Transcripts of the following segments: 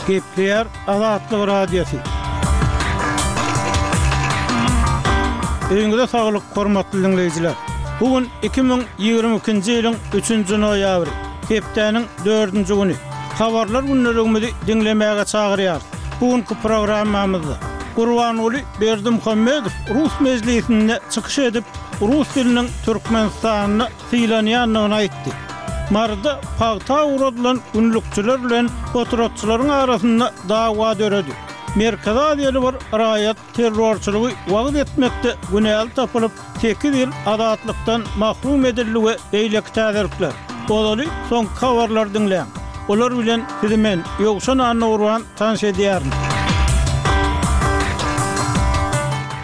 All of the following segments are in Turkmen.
Gepleýär Azatlyk Radiosy. Öýüňize saglyk, hormatly diňleýjiler! Bu gün 2022-nji ýylyň üçünji noýabry, hepdäniň dördünji güni. Habarlar gündeligimizi diňlemäge çagyrýarys. Bu günki programmamyzda Gurbanguly Berdimuhamedow rus mejlisinde çykyş edip, rus diliniň Türkmenistanda sylanýandygyny aýtdy. Maryda pagta ugradylan günlükçiler bilen potratçylaryň arasynda dawa döredi. Merkezi Aziýaly bir raýat terrorçylygy wagyz etmekde günäli tapylyp, sekiz ýyl azatlykdan mahrum edildi we beýleki täzelikler. Ozaly soňky habarlary diňläň. Olar bilen sizi men, Ýowşan Annagurban tanyş edýärin.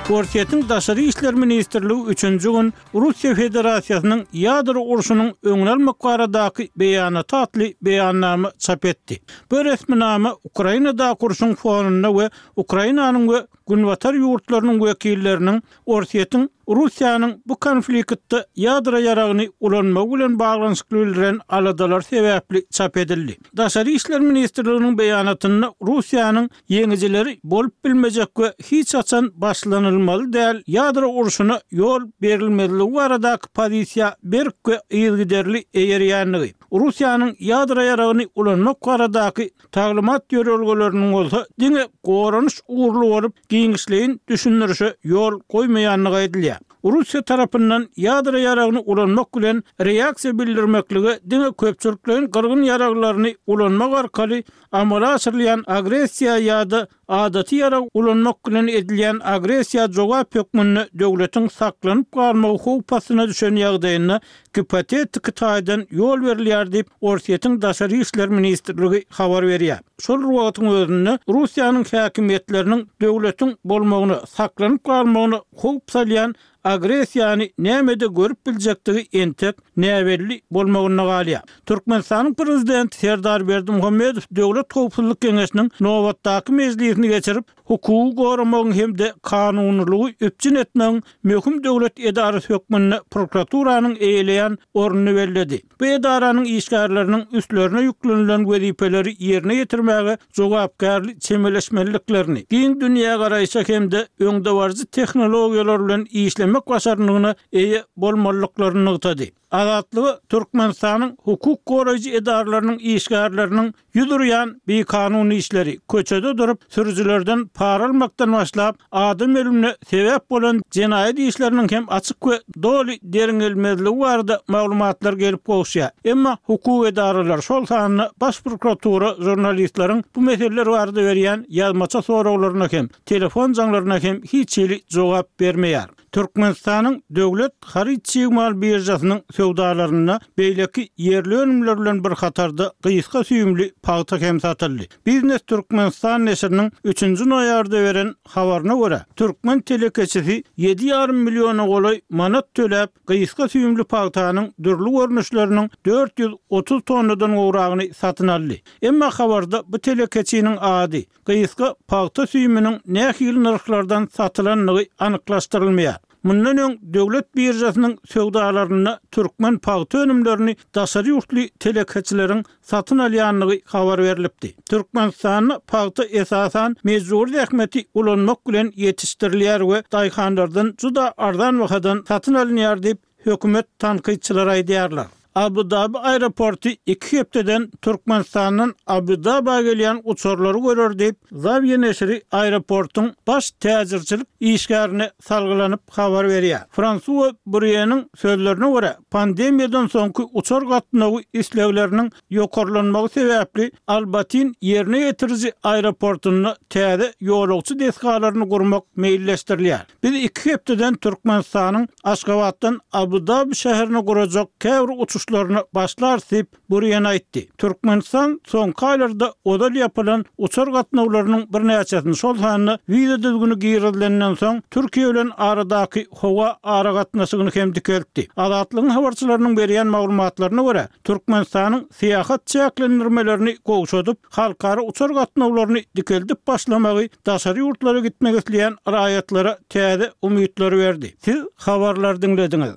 Orsýetiň Daşary işler ministrligi üçünji gün Russiýa Federasiýasynyň ýadro urşunyň öňüni almak baradaky beýanaty atly beýannama çap etdi. Bu resminama Ukrainadaky urşuň fonunda we Ukrainanyň we Günbatar ýurtlarynyň wekilleriniň Orsýetiň Russiýanyň bu konfliktde ýadro ýaragyny ulanmagy bilen baglanyşykly bildiren aladalary sebäpli çap edildi. Daşary işler ministrliginiň beýanatynda Russiýanyň ýeňijileri bolup bilmejek we hiç haçan başlanylmaly däl ýadro urşuna ýol berilmezligi baradaky pozisiýa berk we yzygiderli eýerýändigi, Russiýanyň ýadro ýaragyny ulanmak baradaky taglymat ýörelgeleriniň bolsa diňe goranyş ugurly bolup, giňişleýin düşündirişe ýol goýmaýandygy aýdylýar. Russiýa tarapyndan ýadro ýaragyny ulanmak bilen reaksiýa bildirmeklige diňe köpçülikleýin gyrgyn ýaraglaryny ulanmak arkaly amala aşyrylýan agressiýa ýa-da adaty ýarag ulanmak bilen edilýän agressiýa jogap hökmünde döwletiň saklanyp galmagy howp astyna düşen ýagdaýynda gipotetiki taýdan ýol berilýär diýip, Orsýetiň Daşary işler ministrligi habar berýär. Şol bir wagtyň özünde, Russiýanyň häkimiýetleriniň döwletiň bolmagyna, saklanyp galmagyna howp salýan agressiýany nämede görüp biljekdigi entek näbelli bolmagynda galýar. Türkmenistanyň Prezidenti Serdar Berdimuhamedow Döwlet howpsuzlyk geňeşiniň nobatdaky mejlisini geçirip, hukugy goramagyň hem-de kanunylygy üpjün etmegiň möhüm döwlet edarasy hökmünde prokuraturanyň eýeleýän ornuny belledi. Bu edaranyň işgärleriniň üstlerine ýüklenilen wezipeleri ýerine ýetirmäge jogapkärli çemeleşmeliliklerini, giň dünýägaraýşa hem-de öňdebaryjy tehnologiýalar bilen işlemek başarnygyna eýe bolmalydyklaryny nygtady. Azatlyga Türkmenistanyň hukuk goraýjy edaralarynyň işgärleriniň Ýüz urýan bikanun işleri, köçede durup, sürüjilerden para almakdan başlap, adam ölümine sebäp bolan jenaýat işleriniň hem açyk we doly derňelmezligi barada maglumatlar gelip gowuşýar. Emma hukuk edaralary, şol sanda Baş prokuratura žurnalistleriň bu meseleler barada berýän ýazmaça soraglaryna hem, telefon jaňlaryna hem hiç hili jogap bermeýär. Türkmenistanyň Döwlet haryt-çig mal biržasynyň söwdalarynda beýleki ýerli önümler bilen bir hatarda gysga süýümli pagta hem satyldy. Biznes Türkmenistan neşiriniň üçünji noýabrda beren habaryna görä, türkmen telekeçisi ýedi ýarym milliona golaý manat töläp, gysga süýümli pagtanyň dürli görnüşleriniň 430 tonnadan gowragyny satyn aldy. Emma habarda bu telekeçiniň ady, Gysga pagta süýüminiň nähili nyrhlardan satylandygy anyklaşdyrylmaýar. Mundan öň döwlet biržasynyň söwdalarynda türkmen pagta önümlerini daşary ýurtly telekeçileriň satyn alýandygy habar berlipdi. Türkmenistanda pagta esasan mejbury zähmeti ulanmak bilen ýetişdirilýär we daýhanlardan juda arzan bahadan satyn alynýar diýip, hökümet tankytçylary aýdýarlar. Abu-Dabi aeroporty iki hepdeden Türkmenistandan Abu-Dabä gelýän uçarlary görer diýip, Zawýa neşiri aeroportuň baş täjirçilik işgärine salgylanyp habar berýär. Fransua Burýeniň sözlerine görä, pandemiýadan soňky uçar gatnawy islegleriniň ýokarlanmagy sebäpli Al-Batin ýerine ýetiriji aeroportunda täze ýolagçy desgalaryny gurmak meýilleşdirilýär. Biz iki hepdeden Türkmenistanyň Aşgabatdan Abu-Dabi şäherine gurajak käbir uçuşlaryna başlarys diýip, Burýen aýtdy. Türkmenistan soňky aýlarda ozal ýapylan uçar gatnawlarynyň birnäçesini, şol sanda wiza düzgüni girizilenden soň Türkiýe bilen aradaky howa aragatnaşygyny hem dikeltdi. Azatlygyň habarçylarynyň berýän maglumatlaryna görä, Türkmenistanyň syýahat çäklendirmelerini gowşadyp, halkara uçar gatnawlaryny dikeldip başlamagy daşary ýurtlara gitmek isleýän raýatlara täze umytlary berdi. Siz habarlary diňlediňiz.